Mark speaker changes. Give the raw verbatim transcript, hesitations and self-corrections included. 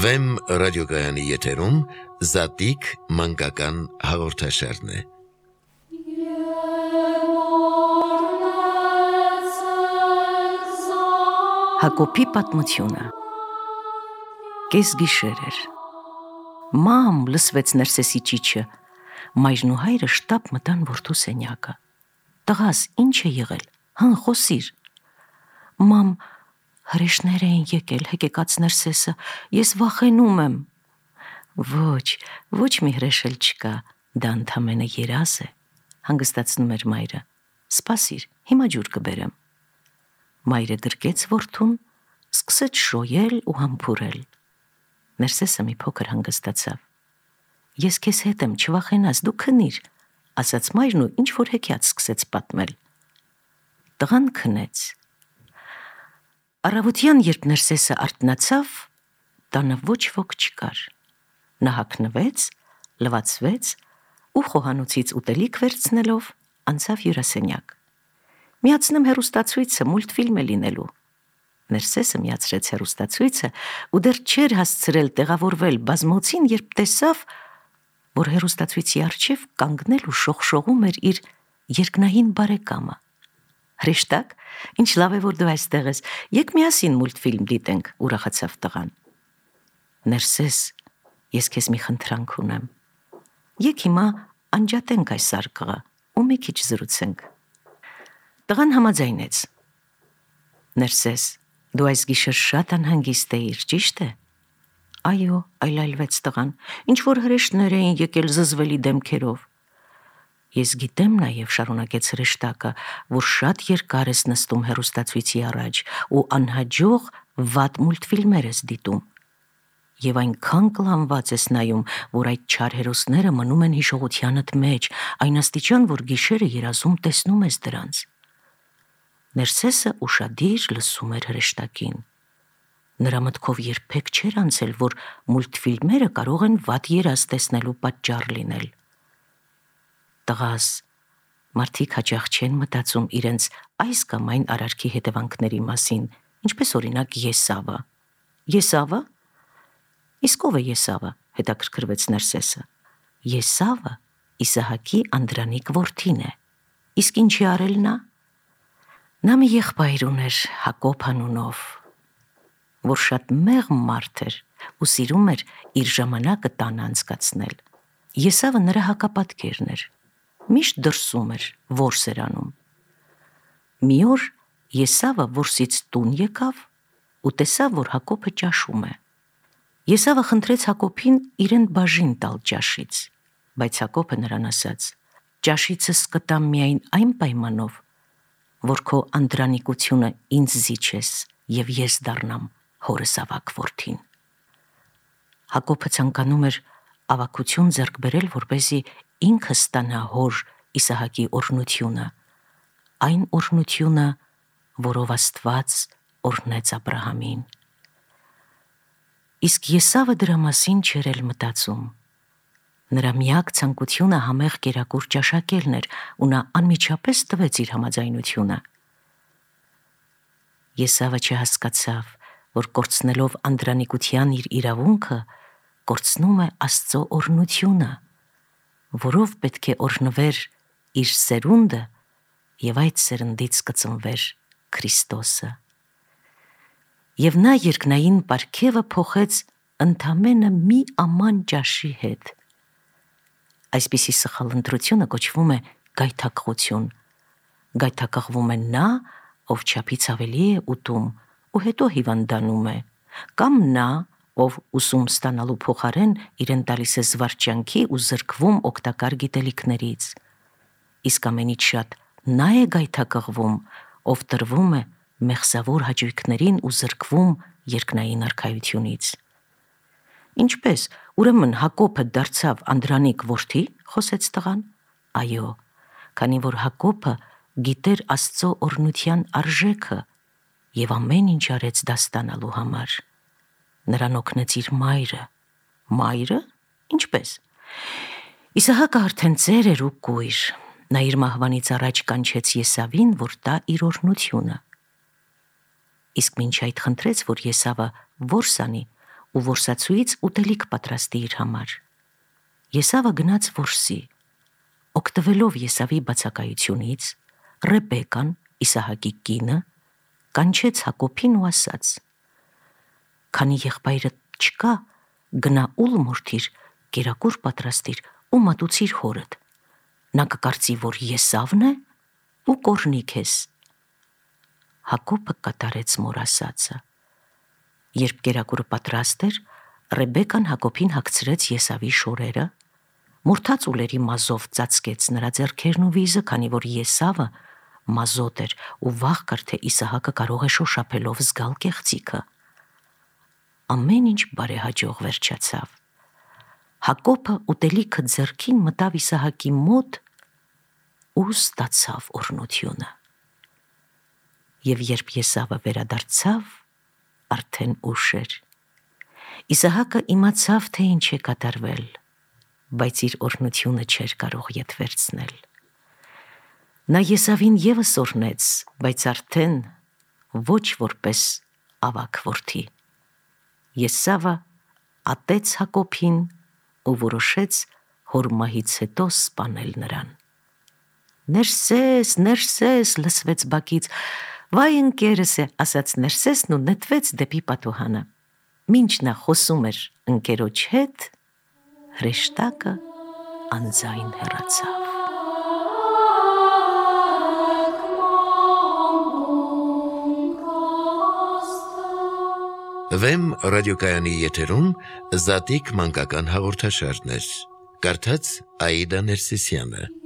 Speaker 1: Վեմ ռադիոգայանի եթերում Զատիկ մանկական հաղորդաշարն է։
Speaker 2: Հակոբի պատմությունը։ Կես գիշեր էր։ Մամ լսվեց Ներսեսի ճիչը։ Մայրն ու հայրը շտապ մտան որդու սենյակը։ Տղաս, ինչ է եղել, հն խոսիր։ Մամ, հրեշներ էին եկել, հեկեկաց Ներսեսը, ես վախենում եմ։ Ոչ, ոչ մի հրեշ էլ չկա, դա ընդամենը երազ է, հանգստացնում էր մայրը։ Սպասիր, հիմա ջուր կբերեմ։ Մայրը գրկեց որդուն, սկսեց շոյել ու համբուրել։ Ներսեսը մի փոքր հանգստացավ։ Ես քեզ հետ եմ, չվախենաս, դու քնիր, ասաց մայրն ու ինչ-որ հեքիաթ սկսեց պատմել։ Տղան քնեց։ Առավոտյան, երբ Ներսեսը արթնացավ, տանը ոչ ոք չկար։ Նա հագնվեց, լվացվեց ու խոհանոցից ուտելիք վերցնելով անցավ հյուրասենյակ։ Միացնեմ հեռուստացույցը, մուլտֆիլմ է լինելու։ Ներսեսը միացրեց հեռուստացույցը ու դեռ չէր հասցրել տեղավորվել բազմոցին, երբ տեսավ, որ հեռուստացույցի առջև կանգնել ու շողշողում էր իր երկնային բարեկամը։ Հրեշտակ, ինչ լավ է, որ դու այստեղ ես, եկ միասին մուլտֆիլմ դիտենք, ուրախացավ տղան։ Ներսես, ես քեզ մի խնդրանք ունեմ։ Եկ հիմա անջատենք այս արկղը ու մի քիչ զրուցենք։ Տղան համաձայնեց։ Ներսես, դու այս գիշեր շատ անհանգիստ էիր, ճիշտ է։ Այո, այլայլվեց տղան, ինչ որ հրեշներ էին եկել զզվելի դեմքերով։ Ես գիտեմ նաև, շարունակեց հրեշտակը, որ շատ երկար ես նստում հեռուստացույցի առաջ ու անհաջող վատ մուլտֆիլմեր ես դիտում։ Եվ այնքան կլանված ես նայում, որ այդ չար հերոսները մնում են հիշողությանդ մեջ, այն աստիճան, որ գիշերը երազում տեսնում ես դրանց։ Ներսեսը ուշադիր լսում էր հրեշտակին։ Նրա մտքով երբեք չէր անցել, որ մուլտֆիլմերը կարող են վատ երազ տեսնելու պատճառ լինել։ Տղաս, մարդիկ հաճախ չեն մտածում իրենց այս կամ այն արարքի հետևանքների մասին, ինչպես օրինակ Եսավը։ Եսավը։ Իսկ ով է Եսավը, հետաքրքրվեց Ներսեսը։ Եսավը Իսահակի անդրանիկ որդին է։ Իսկ ինչի արել նա։ Նա մի եղբայր ուներ, Հակոբ անունով, որ շատ մեղմ մարդ էր ու սիրում էր իր ժամանակը տանը անցկացնել։ Եսավը նրա հակապատկերն էր, միշտ դրսում էր, որս էր անում։ Մի օր Եսավը որսից տուն եկավ ու տեսավ, որ Հակոբը ճաշում է։ Եսավը խնդրեց Հակոբին իրեն բաժին տալ ճաշից, բայց Հակոբը նրան ասաց. ճաշիցս կտամ միայն այն պայմանով, որ քո անդրանիկությունը ինձ զիջես և ես դառնամ հորս ավագ որդին։ Հակոբը ցանկանում էր ավագություն ձեռք բերել, որպեսզի ինքը ստանա հոր Իսահակի օրհնությունը, այն օրհնությունը, որով Աստված օրհնեց Աբրահամին։ Իսկ Եսավը դրա մասին չէր էլ մտածում։ Նրա միակ ցանկությունը համեղ կերակուր ճաշակելն էր ու նա անմիջապես տվեց իր համաձայնությունը։ Եսավը չհասկացավ, որ կորցնելով անդրանիկության իր իրավունքը, կորցնում է Աստծո օրհնությունը, որով պետք է օրհնվեր իր սերունդը և այդ սերնդից կծնվեր Քրիստոսը։ Եվ նա երկնային պարգևը փոխեց ընդամենը մի աման ճաշի հետ։ Այսպիսի սխալ ընտրությունը կոչվում է գայթակղություն։ Գայթակղվում է նա, ով չափից ավելի է ուտում ու հետո հիվանդանում է, կամ նա, ով ուսում ստանալու փոխարեն իրեն տալիս է զվարճանքի ու զրկվում օգտակար գիտելիքներից։ Իսկ ամենից շատ նա է գայթակղվում, ով տրվում է մեղսավոր հաճույքներին ու զրկվում երկնային արքայությունից։ Ինչպես, ուրեմն Հակոբը դարձավ անդրանիկ որդի, խոսեց տղան։ Այո, քանի որ Հակոբը գիտեր Աստծո օրհնության արժեքը և ամեն ինչ արեց դա ստանալու համար։ Նրան օգնեց իր մայրը։ Մայրը։ Ինչպես։ Իսահակը արդեն ծեր էր ու կույր։ Նա իր մահվանից առաջ կանչեց Եսավին, որ տա իր օրհնությունը։ Իսկ մինչ այդ խնդրեց, որ Եսավը որս անի ու որսացուից ուտելիք պատրաստի իր համար։ Եսավը գնաց որսի, օգտվելով Եսավի բացակայությունից, Ռեբեկան, Իսահակի կինը, կանչեց Հակոբին ու ասաց. «Քանի եղբայրդ չկա, գնա ուլ մորթիր, կերակուր պատրաստիր ու մատուցիր հորդ։ Նա կկարծի, որ Եսավն է ու կորնի քեզ»։ Հակոբը կատարեց մոր ասածը։ Երբ կերակուրը պատրաստ էր, Ռեբեկան Հակոբին հագցրեց Եսավի շորերը, մորթած ուլերի մազով ծածկեց նրա ձեռքերն ու վիզը, քանի որ Եսավը մազոտ էր ու վախ կար, թե Իսահակը կարող է շոշափելով զգալ կեղծիքը։ Ամեն ինչ բարեհաջող վերջացավ։ Հակոբը ուտելիքը ձեռքին մտավ Իսահակի մոտ ու ստացավ օրհնությունը։ Եվ երբ Եսավը վերադարձավ, արդեն ուշ էր։ Իսահակը իմացավ, թե ինչ է կատարվել, բայց իր օրհնությունը չէր կարող ետ վերցնել։ Նա Եսավին ևս օրհնեց, բայց արդեն ոչ որպես ավագ որդի։ Եսավը ատեց Հակոբին ու որոշեց հոր մահից հետո սպանել նրան։ «Ներսես, Ներսես» լսվեց բակից։ «Վայ ընկերս է», ասաց Ներսեսն ու նետվեց դեպի պատուհանը։ Մինչ նա խոսում էր ընկերոջ հետ, հրեշտակը անձայն հեռացավ։
Speaker 1: Վեմ ռադիոկայանի եթերում Զատիկ մանկական հաղորդաշարներ։ Կարդաց Աիդա Ներսիսյանը։